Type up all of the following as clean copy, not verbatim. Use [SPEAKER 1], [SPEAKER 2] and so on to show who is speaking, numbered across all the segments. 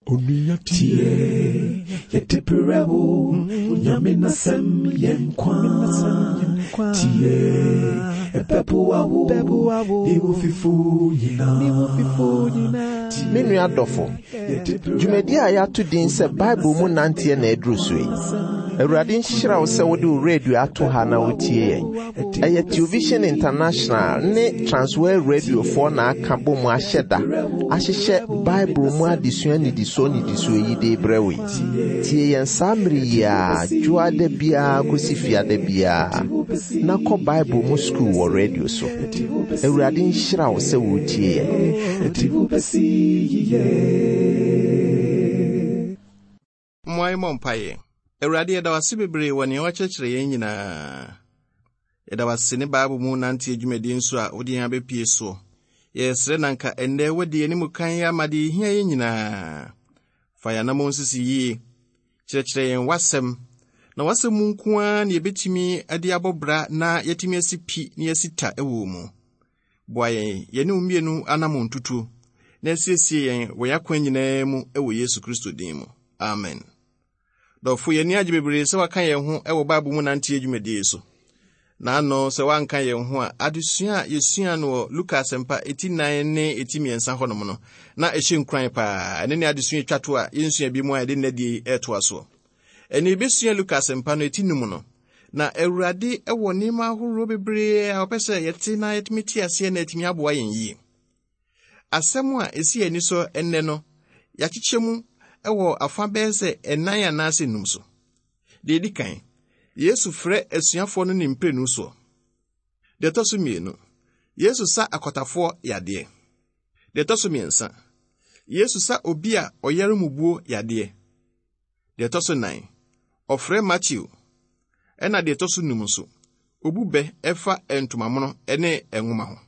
[SPEAKER 1] Onua tie, yɛde brɛ wo, Onyame n'asɛm yɛ nkwa. Tie, ɛbɛboa wo, ne wo fifo nyinaa.
[SPEAKER 2] Me nua dɔfo, dwumadi a yɛato din sɛ Bible mu nanteɛ na aduru so yi. Awurade nhyira wo sɛ wode wo radio ato ha na wotie yɛn. Ɛyɛ Television International ne Transworld Radiofoɔ na aka bɔ mu ahyɛ da ahyehyɛ Bible mu adesua nnidisoɔ nnidisoɔ yi de brɛ wo yi. Tie yɛn saa mmere yi ara dwoada biara kɔsi fiada biara na kɔ Bible mu sukuu wɔ radio so. Awurade nhyira wo sɛ woretie yɛn.
[SPEAKER 3] Mmoa yɛmmɔ mpaeɛ. Awurade, yɛda wo ase bebree wɔ nea woakyerɛkyerɛ yɛn nyinaa. Yɛda wo ase ne Bible mu nanteɛ dwumadie nso a wode yɛn abɛpie soɔ. Yɛsrɛ na nka ɛnnɛ woadi yɛn anim kan ama deɛ ɛhia yɛn nyinaa. Fa yɛn anammɔn sisi yie. Kyerɛkyerɛ yɛn w'asɛm. Na w'asɛm mu nko ara na yɛbɛtumi de abɔ bra na yɛatumi asi pi na yɛasi ta wɔ mu. Boa yɛn yɛne wo mmienu anammɔn tutuo na asiesie yɛn wɔ yɛn akwan nyinaa mu wɔ Yesu Kristo din mu. Amen. Dɔfo, yɛn ani agye bebree sɛ waka yɛn ho wɔ Bible mu nanteɛ dwumadie yi so. Na ano sɛ woanka yɛn ho a, adesua a yɛsua no wɔ Luka Asɛmpa eti nan ne eti mmiɛnsa hɔnom no, na ɛhyɛ nkuran paa. Ɛne ne adesua etwa to a yɛnsua bi mu a yɛde nnɛ die yi ɛretoa soɔ. Ɛne yɛbɛsua Luka Asɛmpa no eti num no. Na Awurade wɔ nneɛma ahoroɔ bebree a ɔpɛ sɛ yɛte na yɛtumi te aseɛ na atumi aboa yɛn yie. Asɛm a ɛsi yɛn ani so nnɛ no, yɛakyekyɛ mu wɔ afa bɛyɛ sɛ ɛnan anaasɛ nnum so. Deɛ ɛdi kan, Yesu frɛ asuafoɔ no ne mprenu soɔ. Deɛ ɛtɔ so mmienu, Yesu sa akwatafoɔ yadeɛ. Deɛ ɛtɔ so mmiɛnsa, Yesu sa obi a ɔyare mubuo yadeɛ. Deɛ ɛtɔ so nan, ɔfrɛ Mateo. Ɛna deɛ ɛtɔ so num nso, obu bɛ ɛfa ntomamono ne nwoma ho.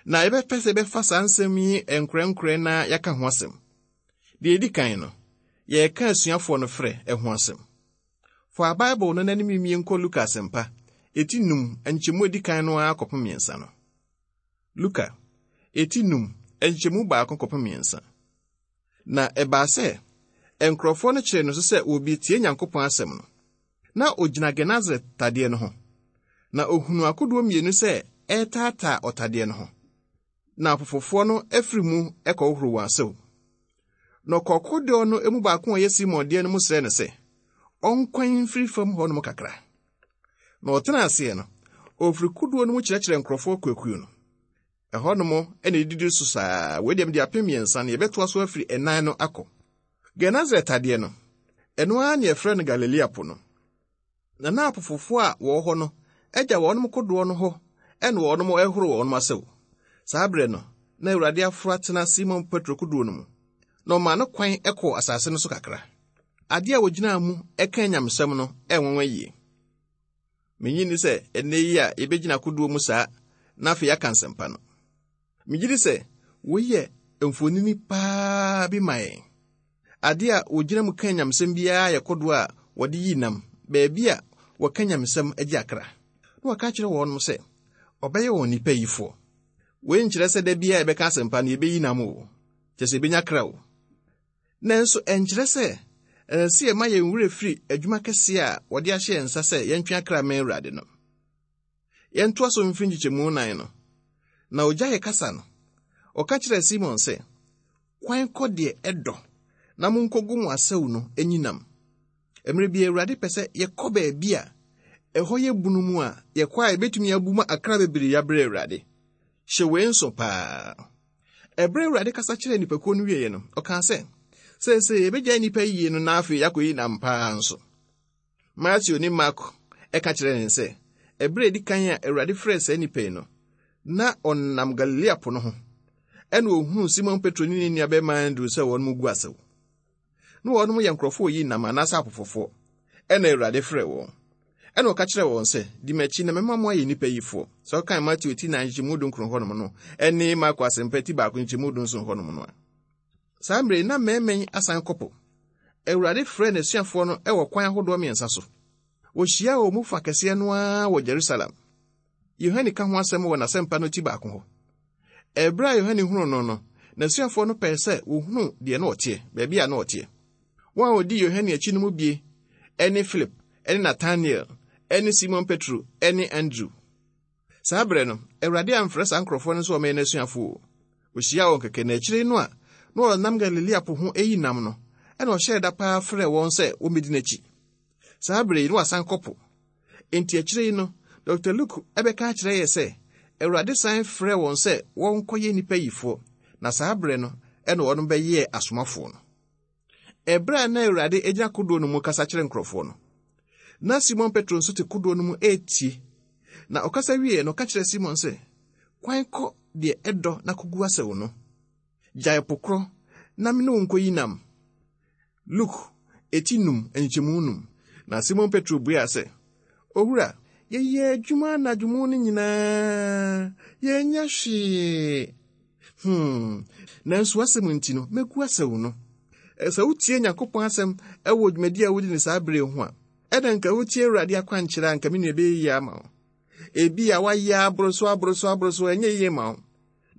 [SPEAKER 3] Na yɛbɛpɛ sɛ yɛbɛfa saa nsɛm yi nkorɛnkorɛ na yɛaka ho asɛm. Deɛ ɛdi kan no, yɛreka asuafoɔ no frɛ ho asɛm. Fa Bible no n'anim mie nkɔ Luka Asɛmpa, eti num, nkyɛmu edi kan no ara kɔpem mmiɛnsa no. Luka, eti num, nkyɛmu baako kɔpem mmiɛnsa. Na ɛbaa sɛ nkurɔfoɔ no kyeree no so sɛ wɔrebetie Nyankopɔn asɛm no. Na ɔgyina Genesaret tadeɛ no ho, na ɔhunuu akodoɔ mmienu sɛ ɛretaataa ɔtadeɛ no ho. Na apofofoɔ no afiri mu kɔhohoro wɔn asau. Na ɔkɔɔ kodoɔ no mu baako a ɔyɛ Simon deɛ no mu srɛɛ no sɛ ɔnkwan mfiri fam hɔnom kakra. Na ɔtenaa aseɛ no, ɔfiri kodoɔ no mu kyerɛkyerɛ nkurɔfoɔ akuakuo no. Ɛhɔnom na edidi so saa. Wei deɛ mede apem mmiɛnsa no, yɛbɛtoa so afiri ɛnan no akɔ. Genesaret tadeɛ no, ɛno ara na yɛfrɛ no Galilea Po no. Na na apofofoɔ a wɔwɔ hɔ no agya wɔn kodoɔ no hɔ na wɔn rehoro wɔn asau. Saa berɛ no, na Awurade aforo atena Simon Petro kodoɔ no mu, na ɔmaa no kwan kɔɔ asase no so kakra. Adeɛ a wɔgyinaa mu ka anyamesɛm no ɛnwanwa yie. Minnye nni sɛ ɛnnɛ yi a yebegyina kodoɔ mu saa na afei yɛaka nsɛmpa no. Migye di sɛ wei yɛ mfonini paa bi ma yɛn. Ade a wogyina mu ka nyamesɛm biara yɛ kodoɔ a wɔde yi nam, baabi a wɔka nyamesɛm gye akra. Na wɔka kyerɛ wɔn sɛ ɔbɛyɛ wɔn nnipa yifoɔ. Wei nkyerɛ sɛ da biara yɛbɛka asɛmpa no yɛbɛyi nam o, kyerɛ sɛ yɛbɛnya kra o. Nanso ɛnkyerɛ sɛ ɛsɛ sɛ yɛma yɛn werɛ firi adwuma kɛseɛ a wɔde ahyɛ yɛn nsa sɛ yɛntwe akra mmɛn Awurade no. Yɛntoa so mfiri nkyekyɛmu nan no. Na ogyaee kasa no, ɔka kyerɛɛ Simon sɛ, Kwan kɔ deɛ ɛdɔ na monkɔgu mo asau no anyinam. Mmerɛ bi Awurade pɛ sɛ yɛkɔ baabi a ɛhɔ yɛ bunu mu a yɛkɔ a yɛbɛtumi abu ma akra bebree abrɛ Awurade. Hyɛ wei nso paa. Ɛberɛ a Awurade kasa kyerɛɛ nnipakuo no wieeɛ no, ɔkaa sɛ, Seesei yɛbɛgyae nnipa yie no na afei yɛakɔyi nam paa nso. Mateo ne Marko ka kyerɛɛ yɛn sɛ, ɛberɛ a ɛdi kan a Awurade frɛɛ saa nnipa yi no, na ɔnam Galilea po no ho, ɛna ɔhunuu Simon Petro ne ne nuabarima Andrew sɛ wɔn mu gu asau. Na wɔnom yɛ nkurɔfoɔ a wɔyi nam anaasɛ apofofoɔ. Ɛna Awurade frɛɛ wɔn. Ɛna ɔka kyerɛɛ wɔn sɛ, Di m'akyi na mɛma mo ayɛ nnipa yifoɔ. Sɛ wokan Mateo ti nan nkyɛmu dunkron hɔnom no ne Marko asɛmpa ti baako nkyɛmu dunson hɔnom no a. Saa mmerɛ yi na mmarima yi asan kɔ po. Awurade frɛɛ n'asuafoɔ no wɔ kwan ahodoɔ mmiɛnsa so. Wɔhyiaa wɔn mu fa kɛseɛ no ara wɔ Jerusalem. Yohane ka ho asɛm wɔ n'asɛmpa no ti baako hɔ. Ɛberɛ a Yohane hunuu no no, N'asuafoɔ no pɛɛ sɛ wɔhunu deɛ na ɔteɛ, baabi a na ɔteɛ. Wɔn a wɔdii Yohane akyi no mu bie ne Filip ne Natanael ne Simon Petro ne Andrew. Saa berɛ no, Awurade amfrɛ saa nkurɔfoɔ no sɛ wɔmmɛyɛ n'asuafoɔ o. Ɔhyiaa wɔn kɛkɛ, na akyire no a na ɔnam Galilea po ho reyi nam no, ɛna ɔhyɛɛ da paa frɛɛ wɔn sɛ wɔmmɛdi n'akyi. Saa berɛ yi, na wasan kɔ po. Enti akyire yi no, Dr. Luke bɛka akyerɛ yɛ sɛ Awurade san frɛɛ wɔn sɛ wɔnkɔyɛ nnipa yifoɔ, na saa berɛ no ɛna wɔn bɛyɛɛ asomafoɔ no. Ɛberɛ a na Awurade gyina kodoɔ no mu kasa kyerɛ nkurɔfoɔ no, na Simon Petro nso te kodoɔ no mu retie. Na ɔkasa wieeɛ no, ɔka kyerɛɛ Simon sɛ, Kwan kɔ deɛ ɛdɔ na kɔgu asau no. Gyae po korɔ na me ne wo nkɔyi nam. Luke, eti num, nkyɛmu num. Na Simon Petro buaa sɛ, Owura, yɛyɛɛ adwuma anadwo mu no nyinaa, yɛannya hwee. Hmm, nanso w'asɛm nti no, mɛgu asau no. Sɛ wotie Nyankopɔn asɛm wɔ dwumadi a wodi no saa bere ho a, ɛna nka wotie Awurade akwankyerɛ a nka me nua ɛbɛyɛ yie ama wo. Ebi a woayɛ aboro so aboro so aboro so ɛnyɛ yie ma wo.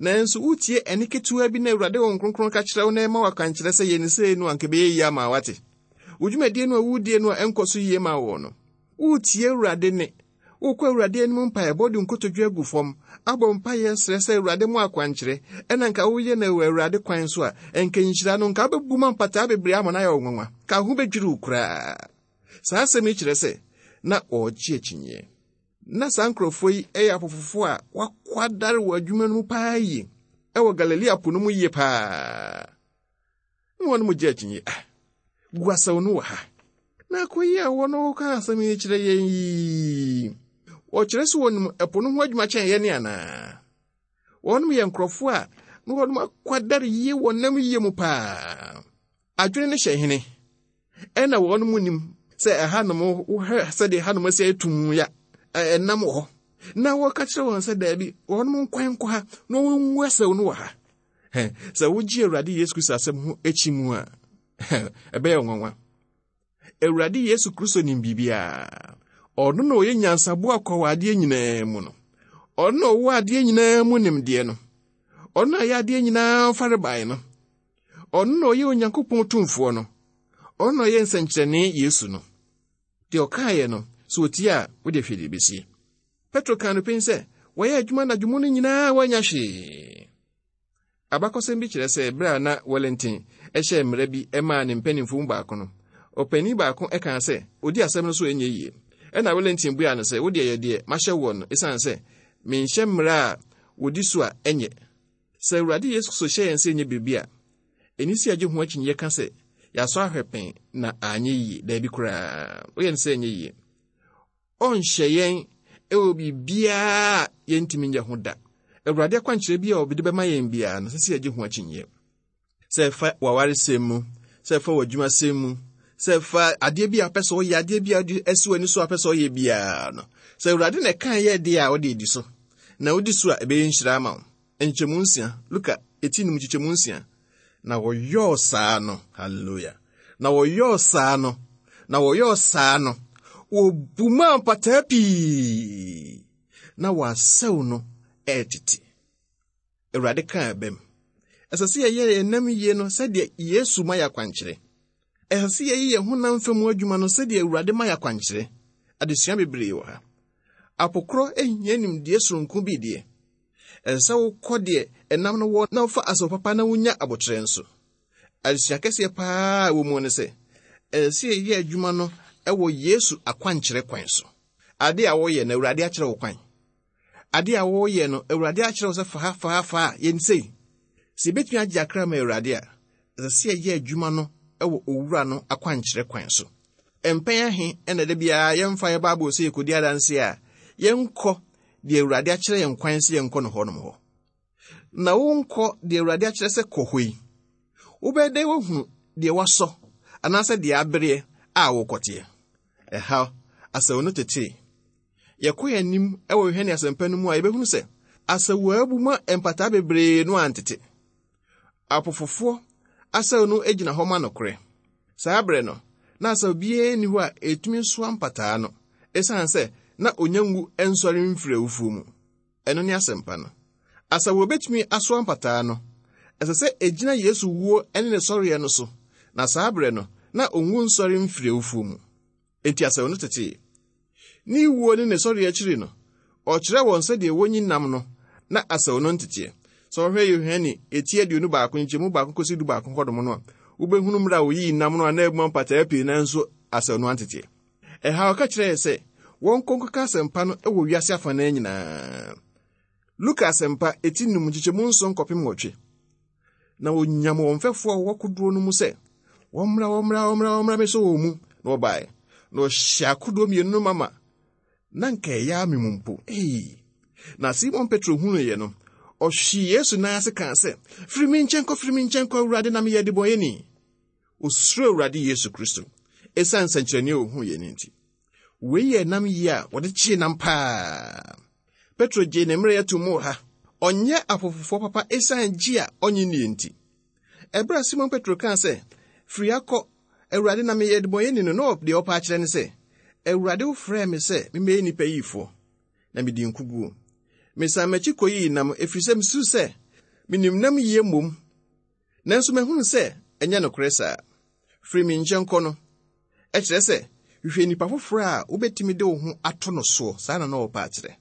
[SPEAKER 3] Nanso wotie ɛne ketewa bi na Awurade Honhom Kronkron ka kyerɛ wo na ɛma wo akwankyerɛ sɛ yɛ ne sei no anka ɛbɛyɛ yie ama wate. Wo dwumadie no a wodie no a ɛnkɔ so yie ma wo no, woretie Awurade nne. Wokɔ Awurade anim mpaebɔ de nkotodwe agu fam, abɔ mpaeɛ srɛ sɛ Awurade mo akwankyerɛ, ɛna nka woyɛ no wɔ Awurade kwan so a, ɛnka nhyira no, nka wobɛbu ma mpataa bebree ama no ayɛ wo nwanwa, ka ho bɛdwiri wo koraa. Saa asɛm yi kyerɛ sɛ na wɔregye akyinnyeɛ. Na saa nkurɔfoɔ yi yɛ apofofoɔ a wɔakwadare wɔ adwuma no mu paa yie, ɛwɔ Galilea po no mu yie paa. Na wɔn mu gye akyinnye, ah, gu asau no wɔ ha. Na akɔyi a wɔn ka asɛm yi kyerɛ yɛn yi, wɔkyerɛ sɛ wɔnim ɛpo no ho adwuma kyɛn yɛn anaa? Wɔnom yɛ nkurɔfoɔ a na wɔnom akwadare yie wɔ nam yie mu paa. Adwene no hyɛ hene. Ɛna wɔnom nim sɛ ɛhanom wohwɛ sɛdeɛ hanom asi ayɛ tumm ya ɛnam wɔ hɔ. Na wɔka kyerɛ wɔn sɛ daabi, wɔnom nkwan nkɔ ha na wɔngu asau no wɔ ha. Sɛ wogye Awurade Yesu Kristo asɛm ho akyi mu a, ɛbɛyɛ nwanwa. Awurade Yesu Kristo nim biribiara. Ɔno na ɔyɛ nyansaboa kwa wɔ adeɛ nyinaa mu no. Ɔno na ɔwɔ adeɛ nyinaa mu nimdeɛ no. Ɔno na ɔyɛ adeɛ nyinaa farebae no. Ɔno na ɔyɛ Onyankopɔn tumfoɔ no. Ɔno na ɔyɛ nsɛnkyerɛnne Yesu no. Deɛ ɔkaeɛ no, sɛ ɔtie a, wode hwɛ deɛ ɛbɛsie. Petro kaa no pen sɛ, wɔyɛ adwuma anadwo mu no nyinaa wɔanya hwee. Abakɔsɛm bi kyerɛ sɛ bere a na Wellington hyɛɛ mmara bi maa ne mpanyimfo mu baako no, ɔpanyin baako kaa sɛ odi asɛm no so a ɛnyɛ yiye. Ɛnna Wellington buaa no sɛ, Wo deɛ yɛ deɛ mahyɛ woɔ no, esiane sɛ menhyɛ mmara a wodi so a ɛnyɛ. Sɛ Awurade Yesu Kristo hyɛ yɛn sɛ yɛnyɛ biribi a, ɛni sɛ yɛgye ho akyinnye ka sɛ yɛasɔ ahwɛ pɛn na anyɛ yiye. Daabi koraa, woyɛ no sɛ ɛnyɛ yiye. Ɔnhyɛ yɛn wɔ biribiara a yɛntumi nyɛ ho da. Awurade akwankyerɛ bi a ɔde bɛma yɛn biara no, ɛsɛ sɛ yɛgye ho akyinnyeɛ. Sɛ ɛfa w'awaresɛm mu, sɛ ɛfa w'adwumasɛm mu, sɛ ɛfa adeɛ bi a wopɛ sɛ ɔyɛ, adeɛ bi a wode asi w'ani so a wopɛ sɛ ɔyɛ biara no, sɛ Awurade na ɛka yɛ deɛ a, ɔde adi so. Na wodi so a, ɛbɛyɛ nhyira ama wo. Nkyɛmu nsia, Luka eti num nkyekyɛmu nsia. Na wɔyɔɔ saa no, hallelujah. Na wɔyɔɔ saa no, na wɔyɔɔ saa no, wɔbumaa mpataa pii, na wɔasɛw no ɛretete. Awurade kaa ɛbɛm. Ɛsɛ sɛ yɛyɛ yɛn nam yie no sɛdeɛ Yesu ma yɛ akwankyerɛ. Ɛsɛ sɛ yɛyɛ yɛn honam fam adwuma no sɛdeɛ Awurade ma yɛ akwankyerɛ. Adesua bebree wɔ ha. Apokorɔ hia nimdeɛ soronko bi deɛ. Ɛsɛ sɛ wokɔ deɛ ɛnam no wɔ na wofa asau papa na wonya aboterɛ nso. Adesua kɛseɛ paa a ɛwɔ mu ne sɛ, ɛsɛ sɛ yɛyɛ adwuma no wɔ Yesu akwankyerɛ kwan so. Ade a woyɛ no, Awurade akyerɛ wo kwan. Ade a woyɛ no, Awurade akyerɛ wo sɛ fa ha, fa ha, fa ha, yɛ no sei. Sɛ yɛbɛtumi agye akra ma Awurade a, ɛsɛ sɛ yɛyɛ adwuma no wɔ Owura no akwankyerɛ kwan so. Mpɛn ahe na da biara yɛmfa yɛn Bible sɛ yɛkɔdi adanse a, yɛnkɔ deɛ Awurade akyerɛ yɛn kwan sɛ yɛnkɔ no hɔnom hɔ? Na wonkɔ deɛ Awurade akyerɛ sɛ kɔ hɔ yi, wobɛyɛ dɛn woahunu deɛ wasɔ anaasɛ deɛ abereɛ a wokɔteɛ? Ɛha asau no tetee. Yɛkɔ yɛn anim wɔ Yohane Asɛmpa no mu a, yɛbɛhunu sɛ asau a abu ma mpataa bebree no antete. Apofofoɔ asau no gyina hɔ ma nokorɛ. Saa berɛ no, na asau biara nni hɔ a ɛtumi soa mpataa no, ɛsiane sɛ na ɔnya nwu nsɔre mfiri awufoɔ mu. Ɛno ne asɛmpa no. Asau a ɛbɛtumi asoa mpataa no, Ɛsɛ sɛ egyina Yesu wuo ne ne sɔreɛ no so, na saa berɛ no, na onwu nsɔre mfiri awufoɔ mu. Enti asau no tetee. Ne wuo ne ne sɔreɛ akyiri no, ɔkyerɛɛ wɔn sɛdeɛ wɔnyi nam no na asau no nteteɛ. Sɛ wɔhwɛ Yohane eti 21 nkyɛmu 1 kɔsi 11 hɔnom no a, wobɛhunu mmerɛ a wɔyii nam no a na abuma mpataa pii nanso asau no anteteɛ. Ɛha ɔka kyerɛɛ sɛ wɔnkɔ nkɔka asɛmpa no wɔ wiase afanan nyinaa. Luka Asɛmpa, eti num nkyekyɛmu nson kɔpem nwɔtwe. Na wɔnyam wɔn mfɛfoɔ a wɔwɔ kodoɔ no mu sɛ, wɔmmra, wɔmmra, wɔmmra, wɔmmra mmɛsɔ wɔn mu. Na wɔbaeɛ. Na wɔhyɛ akodoɔ mmienu no mama. Na nka ɛyɛ ame mu mpo. Ei! Na Simon Petro hunuiɛ no, ɔhwee Yesu nan ase kaa sɛ, Firi me nkyɛn kɔ, firi me nkyɛn kɔ, Awurade, na meyɛ adebɔnyɛni. Osuro Awurade Yesu Kristo esiane nsɛnkyerɛnne a ohuiɛ no nti. Wei yɛ nam yie a wɔde kyee nam paa. Petro gyee ne mmerɛyɛ to mu wɔ ha. Ɔnyɛ apofofoɔ papa esiane gye a ɔnye nnie nti. Ɛberɛ a Simon Petro kaa sɛ, Firi ha kɔ, Awurade, na meyɛ debɔnyɛni no, na deɛ ɔpɛ akyerɛ ne sɛ, Awurade, wofrɛɛ me sɛ memmɛyɛ nnipa yifoɔ, na medii nkoguo. Mesan m'akyi kɔyii nam, ɛfiri sɛ mesusu sɛ menim nam yie mmom. Nanso mahunu sɛ ɛnyɛ nokorɛ saa. Firi me nkyɛn kɔ no, ɛkyerɛ sɛ hwehwɛ nipa foforɔ a wobɛtumi de wo ho ato no soɔ, saa na na ɔrepɛ akyerɛ.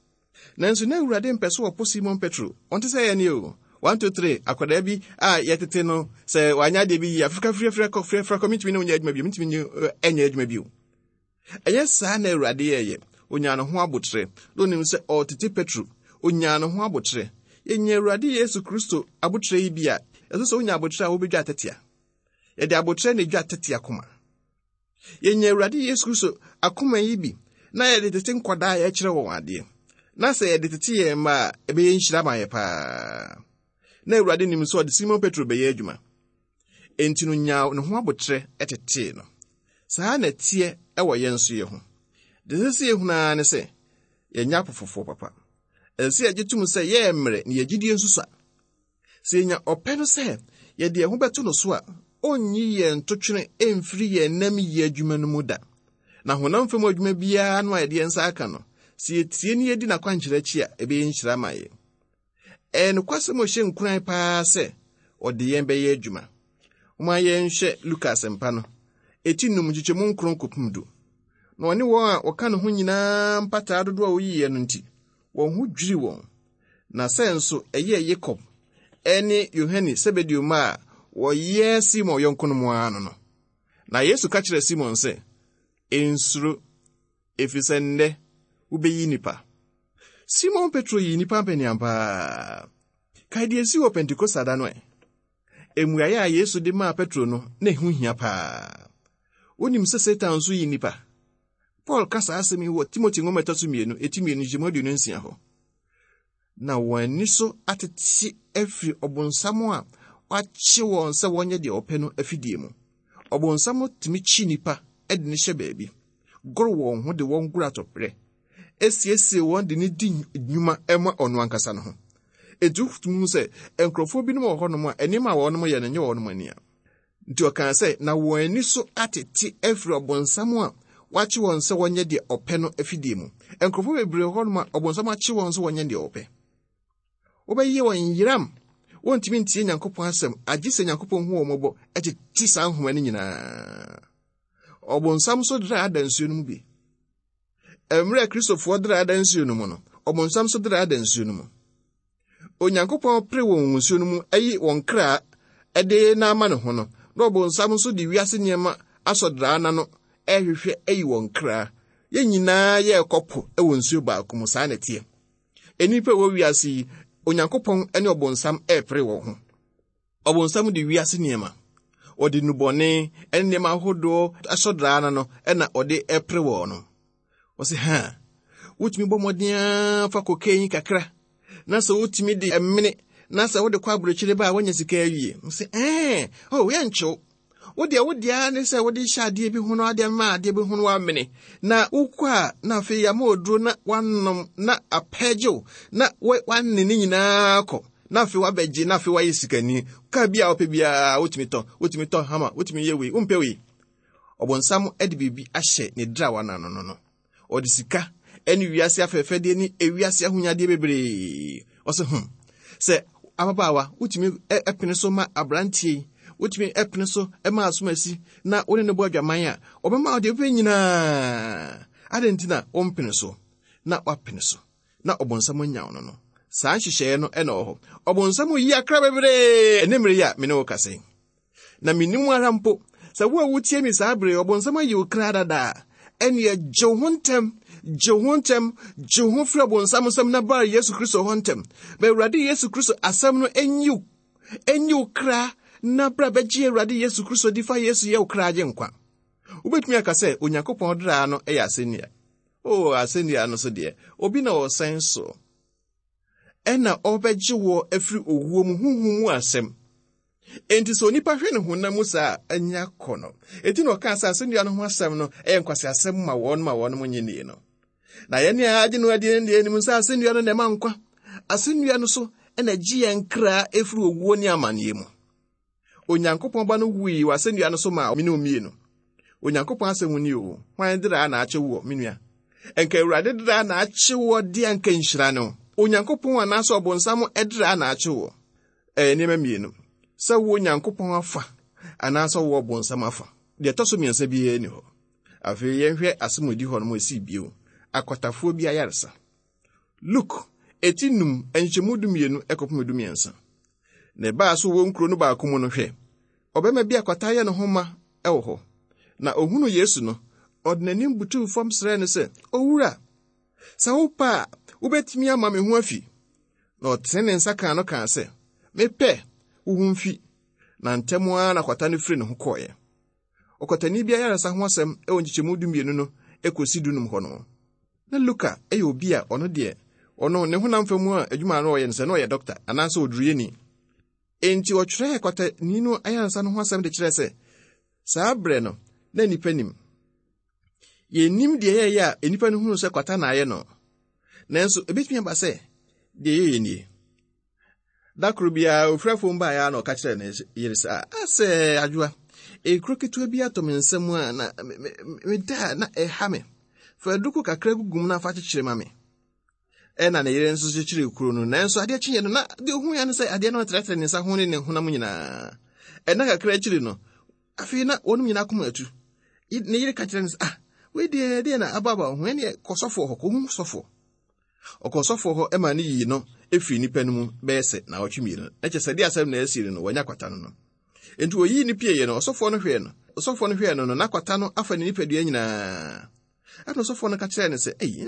[SPEAKER 3] Nanso na Awurade mpɛ sɛ ɔpo Simon Petro. Ɔnte sɛ yɛn o. One, two, three, akwadaa bi a yɛtete no sɛ wanyɛ adeɛ bi yie a, firi firi firi kɔ, firi firi kɔ, mentumi ne wo nyɛ adwuma bio, mentumi ne ɛnyɛ adwuma bio. Ɛnyɛ saa na Awurade yɛeɛ. Ɔnyaa ne ho aboterɛ. Na ɔnim sɛ ɔretete Petro. Ɔnyaa ne ho aboterɛ. Yɛnya Awurade Yesu Kristo aboterɛ yi bi a, ɛsɛ sɛ wonya aboterɛ a wobɛdwa atɛtea. Yɛde aboterɛ na ɛdwa atɛtea akoma. Yɛnya Awurade Yesu Kristo akoma yi bi na yɛde tete nkwadaa a yɛkyerɛ wɔn adeɛ. Na sɛ yɛde tete yɛn mma a, ɛbɛyɛ nhyira ma yɛ paa. Na Awurade nim sɛ ɔde Simon Petro bɛyɛ adwuma. Enti no nyaa ne ho aboterɛ tetee no. Saa na ɛteɛ wɔ yɛn nso yɛ ho. Deɛ ɛsɛ sɛ yɛhunu ara ne sɛ, yɛnyɛ apofofoɔ papa. Ɛsɛ sɛ yɛgye tom sɛ yɛyɛ mmerɛ na yɛn gyidie nso sua. Sɛ yɛnya ɔpɛ no sɛ yɛde yɛn ho bɛto no so a, ɔnyi yɛn ntotwene mfiri yɛn nam yie adwuma no mu da. Na honam fam adwuma biara no a yɛde yɛn nsa aka no, sɛ yɛtie na yɛdi n'akwankyerɛ akyi a, ɛbɛyɛ nhyira ama yɛn. Ɛyɛ nokwasɛm a ɛhyɛ nkuran paa sɛ ɔde yɛn bɛyɛ adwuma. Momma yɛnhwɛ Luka Asɛmpa no, eti num nkyekyɛmu nkron kɔpem du. Na ɔne wɔn a wɔka ne ho nyinaa mpataa dodoɔ a woyiiɛ no nti, wɔn ho dwiri wɔn. Na sɛ nso ɛyɛɛ Yakob ne Yohane Sebedeo mma a wɔyɛ Simon yɔnkonom ara no no. Na Yesu ka kyerɛɛ Simon sɛ, Nsuro, efisɛ nnɛ wobɛyi nnipa. Simon Petro yii nnipa mpaniam paa. Kae deɛ esii wɔ Pentekoste da no ɛ. Mmuaeɛ a Yesu de maa Petro no, na ɛho hia paa. Wonim sɛ Satan nso yi nnipa. Paul ka saa asɛm yi wɔ Timothy nwoma ɛtɔ so mmienu, eti mmienu, nkyɛmu 26 hɔ. Na wɔn ani so atete afiri ɔbonsam a wakye wɔn sɛ wɔnyɛ deɛ ɔpɛ no afidie mu. Ɔbonsam tumi kyi nnipa de no hyɛ baabi, goro wɔn ho de wɔn goro atɔprɛ, esiesie wɔn de no di nnwuma ma ɔno ankasa no ho. Enti wotumi hu sɛ nkurɔfoɔ binom wɔ hɔnom a nneɛma a wɔnom yɛ no nyɛ wɔnom ani a. Nti ɔkaa sɛ, na wɔn ani so atete afiri ɔbonsam a wakye wɔn sɛ wɔnyɛ deɛ ɔpɛ no afidie mu. Nkurɔfoɔ bebree wɔ hɔnom a ɔbonsam akye wɔn sɛ wɔnyɛ deɛ ɔpɛ. Wobɛyɛ wɔn yeram. Wɔntumi ntie Nyankopɔn asɛm agye sɛ Nyankopɔn hu wɔn mmɔbɔ tete saa nhoma no nyinaa. Ɔbonsam nso draa ada nsuo no mu bi. Mmerɛ a Kristofoɔ draa ada nsuo no mu no, ɔbonsam nso draa ada nsuo no mu. Onyankopɔn pere wɔn nsuo no mu ayi wɔn kra de na ama ne ho no, na ɔbonsam nso de wiase nneɛma asɔ draa n'ano ɛrehwehwɛ ayi wɔn kra. Yɛn nyinaa yɛrekɔ po wɔ nsuo baako mu, saa na ɛteɛ. Nnipa a ɛwɔ wiase yi, Onyankopɔn ne ɔbonsam repere wɔn ho. Ɔbonsam de wiase nneɛma, ɔde nnubɔne ne nneɛma ahodoɔ asɔdraa no no na ɔde repere wɔn no. Ɔsɛ ha, wotumi bɔ mmɔden ara fa kokain kakra, na sɛ wotumi de mene, na sɛ wode kɔ aburokyire ba a woanya sika awie. Ɔsɛ ɛɛ, oh, yɛnkyew. Wo deɛ wo deɛ ara ne sɛ wode hyɛ adeɛ bi ho no adeɛ ma adeɛ bi ho no wamene na wokɔ a na afei yɛama oduro na wanom na apɛgyew na wane ne nyinaa kɔ na afei wabɛgye na afei wayɛ sikani kaa bi a wopɛ biara wotumi tɔ wotumi tɔ hama wotumi yɛ wei wompɛ wei ɔbonsam de biribi ahyɛ ne drawa no ano no no Ɔde sika ne wiase afɛɛfɛdeɛ ne ewiase ahonyadeɛ bebree. Ɔsɛ hmm. Sɛ ababaawa, wotumi pene so ma aberanteɛ yi, wotumi pene so ma asomasi na wo ne no bɔ adwaman a, ɔbɛma wo deɛ wopɛ nyinaa. Adɛn nti na wompene so? Na woapene so. Na ɔbonsam anya wo no no. Saa nhyehyɛeɛ no na ɛwɔ hɔ. Ɔbonsam reyi akra bebree ɛne mmere yi a me ne wo kasa yi. Na mennim ara mpo sɛ wo a wotie me saa bere yi, ɔbonsam ayi wo kra dada a, ɛneɛ gye wo ho ntɛm, gye wo ho ntɛm, gye wo ho firi ɔbonsam nsam na bra Yesu Kristo hɔ ntɛm. Ma Awurade Yesu Kristo asɛm no nyi wo, nyi wo kra na bra bɛgye Awurade Yesu Kristo di fa Yesu yɛ wo kra agye nkwa. Wobɛtumi aka sɛ Onyankopɔn draa no yɛ asɛnnua. O, asɛnnua no so deɛ, obi na ɔsɛn so. Ɛna ɔbɛgye woɔ afiri owuo mu honhom mu asɛm. Enti sɛ onipa hwɛ ne honam mu saa a, ɛnyɛ akɔnnɔ. Enti na ɔkaa sɛ asɛnnua no ho asɛm no yɛ nkwaseasɛm ma wɔn ma wɔn nye nnie no. Na yɛn a agye no adie no deɛ yɛnim sɛ asɛnnua no na ɛma nkwa. Asɛnnua no so na ɛgye yɛn kra ɛfiri owuo ne amanneɛ mu. Onyankopɔn Ba no wui wɔ asɛnnua no so maa me ne wo mmienu. Onyankopɔn asɛm ni o, hwan draa na akye woɔ, me nua? Nka Awurade draa na akye woɔ deɛ anka nhyira ne wo. Onyankopɔn anaasɛ ɔbonsam draa na akye woɔ? Ɛyɛ nneɛma mmienu, sɛ wowɔ Onyankopɔn afa anaasɛ wowɔ ɔbonsam afa. Deɛ ɛtɔ so mmiɛnsa biara nni hɔ. Afei yɛnhwɛ asɛm a ɛdi hɔ no mu ɛsii bio, akwatafoɔ bi ayaresa. Luke, eti num, nkyɛmu dumienu kɔpem dumiɛnsa. Na ɛbaa so wɔ nkuro no baako mu no, hwɛ, ɔbarima bi a kwata ayɛ ne ho ma wɔ hɔ. Na ohunuu Yesu no, ɔde n'anim butuu fam srɛɛ no sɛ, Owura, sɛ wopɛ a, wobɛtumi ama me ho afi. Na ɔtene ne nsa kaa no kaa sɛ, Mepɛ, wo ho mfi. Na ntɛm ara na kwata no firi ne ho kɔeɛ. Ɔkwatani bi ayaresa ho asɛm wɔ nkyekyɛmu dumienu no kɔsi dunum hɔ no. Na Luka yɛ obi a ɔno deɛ, ɔno ne honam fam mu a adwuma a na ɔyɛ no sɛ na ɔyɛ dɔkta anaasɛ oduruyɛni. Enti ɔtwerɛɛ kwatani no ayaresa no ho asɛm de kyerɛɛ sɛ saa berɛ no na nnipa nim. Yɛnnim deɛ ɛyɛeɛ a nnipa no hunu sɛ kwata na ayɛ no. Nanso ɛbɛtumi aba sɛ deɛ ɛyɛeɛ nie. Da koro biara ofiri afuom baeɛ ara na ɔka kyerɛɛ ne yere sɛ, asɛ adwoa, ekuro ketewa bi atɔ me nsa mu a na meda a na ɛha me. Fa aduku kakra gugu mu na fa kyekyere ma me. Ɛna ne yere nso kyekyeree kuro no, nanso adeɛ kyeeɛ no na deɛ ohuiɛ ne sɛ adeɛ no retrɛtrɛ ne nsa ho ne ne honam nyinaa. Ɛna kakra akyiri no, afei na wɔnom nyinaa koma atu. Ne yere ka kyerɛ no sɛ, ah, wei deɛ deɛ na aba aba wo ho, ɛneɛ kɔ sɔfoɔ hɔ, kɔhu sɔfoɔ. Ɔkɔɔ sɔfoɔ hɔ maa no yii no firii nnipa no mu bɛyɛ sɛ naawɔtwe mmienu. Na kyerɛ sɛ deɛ asɛm na asi no no, wanya kwata no no. Enti wɔyii no pieeɛ no, ɔsɔfoɔ no hwɛɛ no. Ɔsɔfoɔ no hwɛɛ no no, na kwata no afa ne nipadua nyinaa. Ɛna ɔsɔfoɔ no ka kyerɛɛ no sɛ, Ei,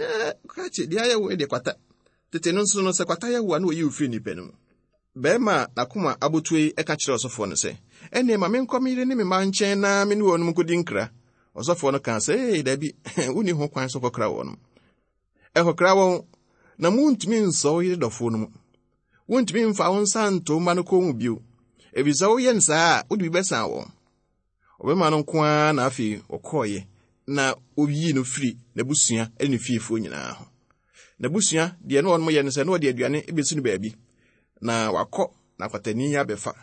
[SPEAKER 3] krakye, deɛ ayɛ wo deɛ kwata. Tete no nso no, sɛ kwata yɛ wo a, na wɔyi wo firi nnipa no mu. Barima a n'akoma abotuo yi ka kyerɛɛ ɔsɔfoɔ no sɛ, Ɛnneɛ ma menkɔ me yere ne me mma nkyɛn na me ne wɔn nkɔdi nkra. Ɔsɔfoɔ no kaa sɛ, Ee, dabi, wonni ho kwan sɛ wokɔkra wɔn. Ɛkɔkra wɔn, na muntumi nsɔ wo yere dɔfo no mu. Wuntumi mfa wo nsa nto wo mma no kɔn mu bio, efisɛ woyɛ no saa a, wode bi bɛsan wɔn. Ɔbarima no nko ara na afei ɔkɔeɛ na oyii no firi n'abusua ne ne fiefoɔ nyinaa ho. N'abusua deɛ na wɔn yɛ no sɛ na wɔde aduane bɛsi no baabi na wakɔ na kwatani abɛfa.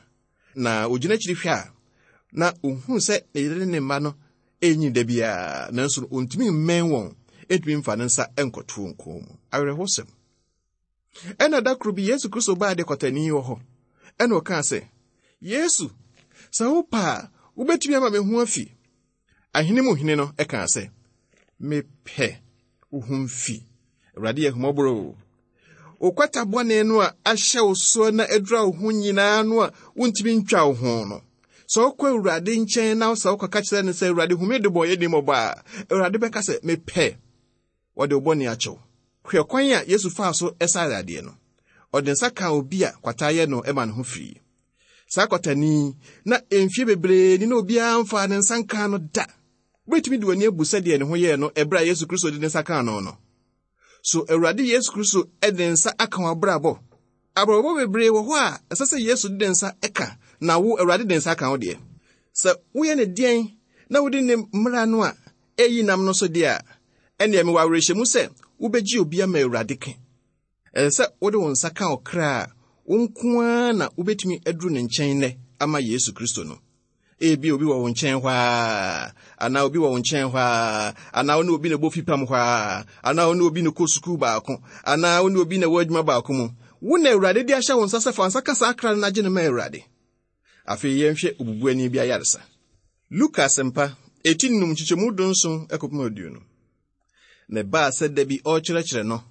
[SPEAKER 3] Na ogyina akyiri hwɛ a, na ohunu sɛ ne yere ne ne mma no renyin da biara, nanso no ontumi mmɛn wɔn, ntumi mfa ne nsa nkɔto wɔn kɔn mu. Awerɛhosɛm. Ɛna da koro bi Yesu Kristo baa de kwatani wɔ hɔ, ɛna ɔkaa sɛ, Yesu, sɛ wopɛ a, wobɛtumi ama me ho afi. Ahene mu hene no kaa sɛ, Mepɛ wo ho mfi. Awurade yɛ ahummɔborɔ o. Wo kwata bɔne no a ahyɛ wo soɔ na adura wo ho nyinaa no a wontumi ntwa wo ho no, sɛ wokɔ Awurade nkyɛn na sɛ wokɔka kyerɛ no sɛ, Awurade hu me debɔneyɛni mmɔbɔ a, Awurade bɛka sɛ, Mepɛ. Wɔde wo bɔne akyɛ wo. Hwɛ kwan a Yesu faa so saa yadeɛ no. Ɔde nsa kaa obi a kwata ayɛ no ma ne ho firii. Saa kwatani yi, na mfeɛ bebree ni na obiara mfaa ne nsa nkaa no da. Wobɛtumi de w'ani abu sɛdeɛ ne ho yɛɛ no ɛberɛ a Yesu Kristo de ne nsa kaa no no? So Awurade Yesu Kristo de ne nsa aka w'abrabɔ? Abrabɔ bebree wɔ hɔ a ɛsɛ sɛ Yesu de ne nsa ka, na wo, Awurade de ne nsa aka wo deɛ. Sɛ woyɛ no deɛn na wodi ne mmara no a eyi nam no so deɛ a, ɛnneɛ mewɔ awerɛhyɛmu sɛ wobɛgye obi ama Awurade ke. Ɛsɛ sɛ wode wo nsa ka ɔkra a wo nko ara na wobɛtumi aduru ne nkyɛn nnɛ ama Yesu Kristo no. Ebia obi wɔ wo nkyɛn hɔ ara, anaa obi wɔ wo nkyɛn hɔ ara, anaa wo ne obi na ɛbɔ fipam hɔ ara, anaa wo ne obi na ɛkɔ sukuu baako, anaa wo ne obi na ɛwɔ adwuma baako mu. Wo na Awurade de ahyɛ wo nsa sɛ fa nsa ka saa kra no na gye no ma Awurade. Afei yɛnhwɛ obubuani bi ayaresa. Luka Asɛmpa, eti num nkyekyɛmu dunson kɔpem aduonu. Na ɛbaa sɛ da bi ɔrekyerɛkyerɛ no,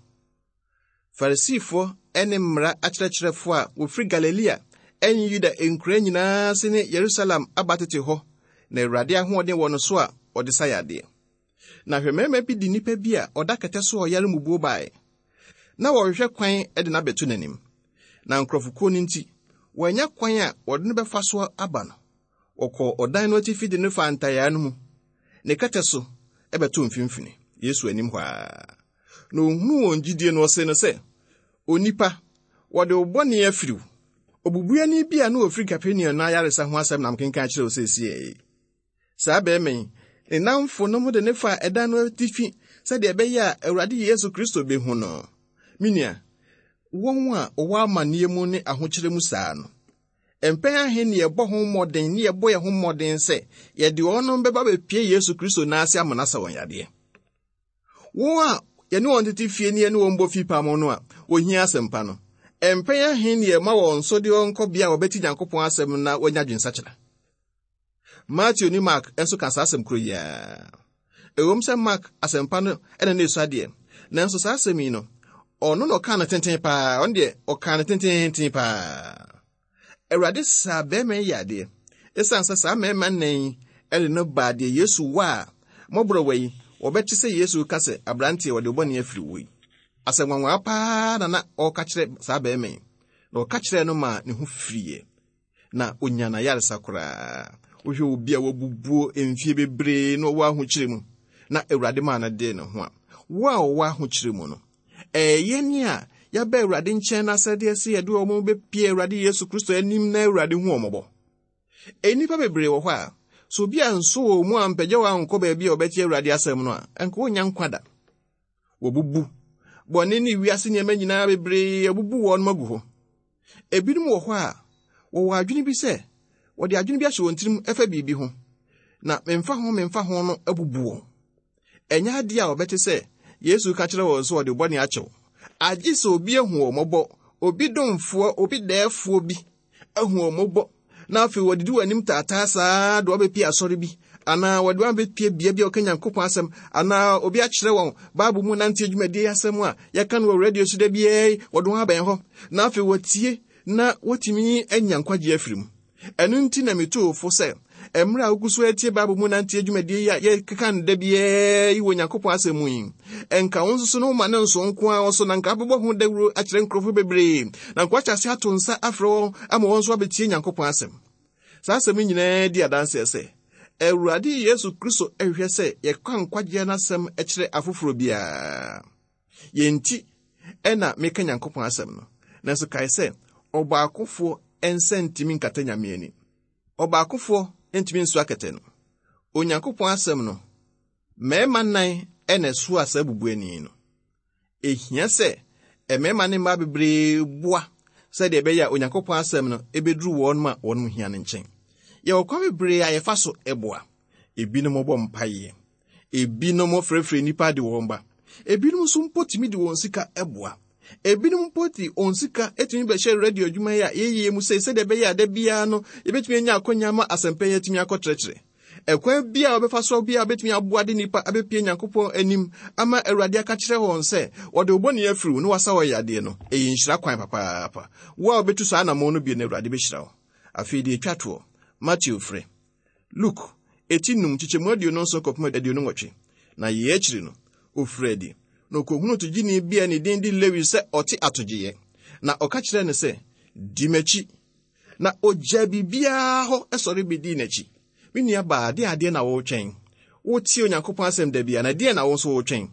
[SPEAKER 3] Farisifoɔ ne mmara akyerɛkyerɛfoɔ a wɔfiri Galilea ne Yuda nkura nyinaa ase ne Yerusalem aba tete hɔ, na Awurade ahoɔden wɔ no so a ɔde sa yadeɛ. Na hwɛ mmarima bi de nnipa bi a ɔda kɛtɛ so a ɔyare mmubuo baeɛ, na wɔrehwehwɛ kwan de no abɛto n'anim. Na nkurɔfokuo no nti, wɔannya kwan a wɔde no bɛfa so aba no. Wɔkɔɔ ɔdan no atifi de no faa ntayaa no mu, ne kɛtɛ so bɛtoo mfimfini, Yesu anim hɔ ara. Na ohunuu wɔn gyidie no, ɔsee no sɛ, Onipa, wɔde wo bɔne afiri wo. Obubuani bi a na ɔfiri Kapernaum no ayaresa ho asɛm na mekenkan kyerɛ wo seesei yi. Saa barima yi, ne nnamfonom de no faa ɛdan no atifi sɛdeɛ ɛbɛyɛ a Awurade Yesu Kristo bɛhu no. Me nua, wɔn a wɔwɔ amanneɛ mu ne ahokyerɛ mu saa no, mpɛn ahe ne yɛbɔ ho mmɔden ne yɛbɔ yɛn ho mmɔden sɛ yɛde wɔn bɛba bɛpie Yesu Kristo nan ase ama no asa wɔn yadeɛ? Wɔn a yɛne wɔn tete fie ne yɛne wɔn bɔ fipam no a wɔhia asɛmpa no, mpɛn ahe ne yɛma wɔn so de wɔn kɔ bea a wɔbɛte Nyankopɔn asɛm na wɔanya adwensakyera? Mateo ne Mark nso ka saa asɛm koro yi ara. Ɛwom sɛ Mark asɛmpa no na na esua deɛ, nanso saa asɛm yi no, ɔno na ɔkaa no tenten paa, ɔno deɛ ɔkaa no tententen paa. Awurade saa barima yi yadeɛ. Esiane sɛ saa mmarima nnan yi de no baa deɛ Yesu wɔ a mmɔborɔwa yi, wɔbɛte sɛ Yesu reka sɛ, aberanteɛ, wɔde wo bɔne afiri wo yi. Asɛm nwanwa paa na na ɔreka kyerɛ saa barima yi, na ɔka kyerɛɛ no maa ne ho firiiɛ. na onya n'ayaresa koraa. Wohwɛ obi a wabubuo mfie bebree na ɔwɔ ahokyere mu, na Awurade maa no dee ne ho a, wo a ɔwɔ ahokyere mu no, ɛyɛ yɛn a yɛaba Awurade nkyɛn no asɛdeɛ sɛ yɛde wɔn bɛpie Awurade Yesu Kristo anim na Awurade hu wɔn mmɔbɔ. Nnipa bebree wɔ hɔ a, sɛ obi anso wɔn mu ampagya wɔn ankɔ baabi a wɔbɛte Awurade asɛm no a, ɛnka wɔnnya nkwa da. Wɔbubu. Bɔne ne wiase nneɛma nyinaa bebree abubu wɔn agu hɔ. Ebinom wɔ hɔ a, wɔwɔ adwene bi sɛ wɔde adwene bi ahyɛ wɔn tirim ɛfa biribi ho, na memfa ho memfa ho no abubu wɔn. Ɛnyɛ adeɛ a wɔbɛte sɛ Yesu ka kyerɛ wɔn sɛ ɔde bɔne akyɛ wo. Agye sɛ obi ahu wɔn mmɔbɔ, obi domfoɔ, obi dɛɛfoɔ bi ahu wɔn mmɔbɔ, na afei wɔdidi wɔn anim taataa saa de wɔabɛpie asɔre bi, anaa wɔde wɔn abɛpie bea bi a wɔka Nyankopɔn asɛm, anaa obi akyerɛ wɔn Bible mu nante adwumadie asɛm a yɛka no wɔ radio so da biara yi, wɔde wɔn abɛn hɔ, na afei wɔtie na wɔtumi anya nkwagye afiri mu. Ɛno nti na metu wo fo sɛ, mmerɛ a wogu so atie Bible mu nante adwumadie yi a yɛkeka no da biara yi wɔ Onyankopɔn asɛm mu yi, ɛnka wo nso so no woma ne nso nko ara so na nka abɛbɔ ho dawuro akyerɛ nkurɔfoɔ bebree, na nka wahyɛ ase ato nsa afrɛ wɔn ama wɔn nso abɛtie Nyankopɔn asɛm. Saa asɛm yi nyinaa di adanseɛ sɛ Awurade Yesu Kristo hwehwɛ sɛ yɛka nkwagyeɛ no asɛm kyerɛ afoforɔ biara. Yɛn nti na meka Nyankopɔn asɛm no. Nanso kae sɛ, ɔbaakofoɔ nsa ntumi nkata Nyame ani. Ɔbaakofoɔ ntumi nsoa kɛtɛ no. Onyankopɔn asɛm no, mmarima nnan na ɛsoaa saa bubuani no. Ehia sɛ mmarima ne mmaa bebree boa sɛdeɛ ɛbɛyɛ a Onyankopɔn asɛm no ɛbɛduru wɔn a wɔn hia no nkyɛn. Yɛwɔ kwan bebree a yɛfa so boa. Ebinom bɔ mpaeɛ. Ebinom frɛfrɛ nnipa de wɔn ba. Ebinom nso mpo tumi de wɔn sika boa. Ebinom mpo de wɔn sika tumi bɛhyɛ radio adwuma yi a yɛyɛ mu sɛ sɛdeɛ ɛbɛyɛ a da biara no yɛbɛtumi anya akɔnya ama asɛmpa yi atumi akɔtrɛtrɛ. Ɛkwan bi a wɔbɛfa so bi a wɔbɛtumi aboa de nnipa abɛpie Nyankopɔn anim ama Awurade aka kyerɛ wɔn sɛ wɔde wo bɔne afiri wo na wasa wɔn yadeɛ no, ɛyɛ nhyira kwan papaapa. Wo a wobɛtu saa anammɔn no bi no, Awurade bɛhyira wo. Afei deɛ ɛtwa toɔ, Mateo frɛ. Luk, eti num, nkyekyɛmu 27 kɔpem 28. Na yei akyiri no, ɔfirii adi, na ɔkɔhunuu togyeni bi a ne din de Lewi sɛ ɔte atogyeeɛ, na ɔka kyerɛɛ no sɛ, Di m'akyi. Na ɔgyaa biribiara hɔ sɔre bɛdii n'akyi. Me nua baa, deɛn adeɛ na woretwɛn? Wotie Onyankopɔn asɛm da biara, na deɛn na wo nso woretwɛn?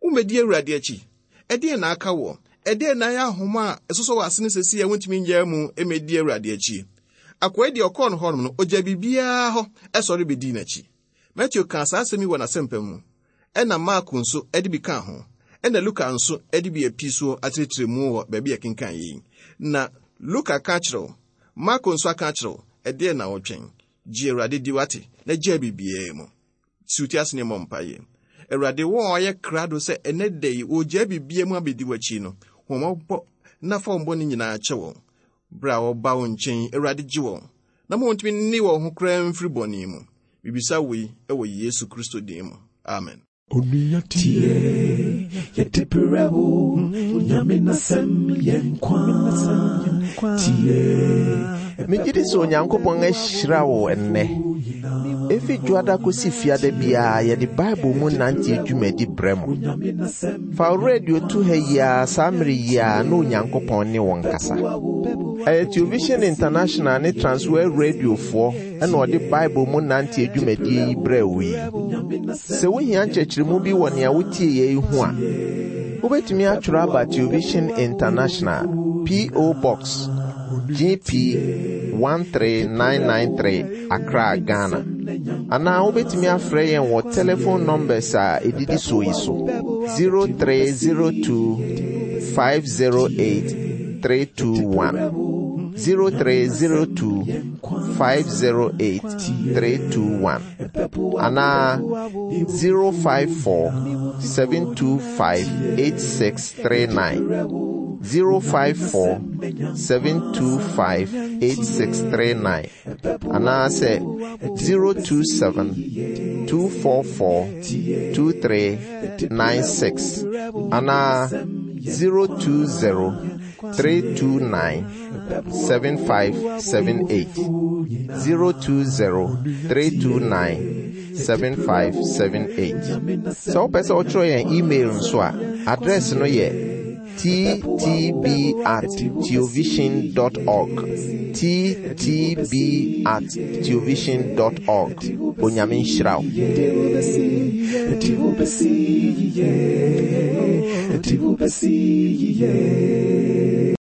[SPEAKER 3] Wommɛdi Awurade akyi? Ɛdeɛn na aka woɔ? Ɛdeɛn na ayɛ ahoma a ɛsosɔ w'asene seesei a wontumi nnyaa mu mmɛdi Awurade akyi? Akoa yi deɛ ɔkɔɔ no hɔnom no, ɔgyaa biribiara hɔ sɔre bɛdii n'akyi. Mateo kaa saa asɛm yi wɔ n'asɛmpa mu, ɛnna Marko nso de bi kaa ho, ɛnna Luka nso de bi api soɔ akyerɛkyerɛ mu wɔ baabi a yɛkenkan yi. Na Luka ka akyerɛ wo, Marko nso aka akyerɛ wo, ɛdeɛn na wotwɛn? Gye Awurade di, wate, na gyaa biribiara mu. Si wo ti ase ne mmɔ mpaeɛ. Awurade, wɔn a wɔayɛ krado sɛ ɛnɛ da yi wɔregyaa biribiara mu abɛdi w'akyi no, hu wɔn mmɔbɔ. Na fa wɔn bɔne nyinaa kyɛ wɔn. Bere a wɔba wo nkyɛn, Awurade gye wɔn, na ma wɔntumi nne wɔn ho koraa mfiri bɔne mu. Mibisa wei wɔ Yesu Kristo din mu. Amen.
[SPEAKER 1] Onua tie, yɛde brɛ wo, Onyame n'asɛm yɛ nkwa. Tie.
[SPEAKER 2] Megye di sɛ Onyankopɔn ahyira wo ɛnnɛ. Efi dwoada kosi fiada biara yɛde Bible mu nante dwumadi brɛ mo. Fa wo radio to ha yi ara saa mmere yi ara na Onyankopɔn ne wo nkasa. Ɛyɛ Television International ne Transworld Radiofoɔ ɛna ɔde Bible mu nante dwumadie yi brɛ wo yi. Sɛ wohia nkyerɛkyerɛmu bi wɔ nea wotie yɛ yi ho a, wobɛtumi atwerɛ aba Television International, P.O. Box, GP 13993, Accra, Ghana. Anaa wobɛtumi afrɛ yɛn wɔ telephone numbers a ɛdidi soɔ yi so 0302 508 321 0302 508 321 anaa 054 725 8639 054 725 8639 anaasɛ 027 244 2396 anaa 020 329 7578 020 329 7578 Sɛ wopɛ sɛ wotwerɛ yɛn email nso a, address no yɛ ttb at theovision dot org ttb at theovision dot org Onyame nhyira wo.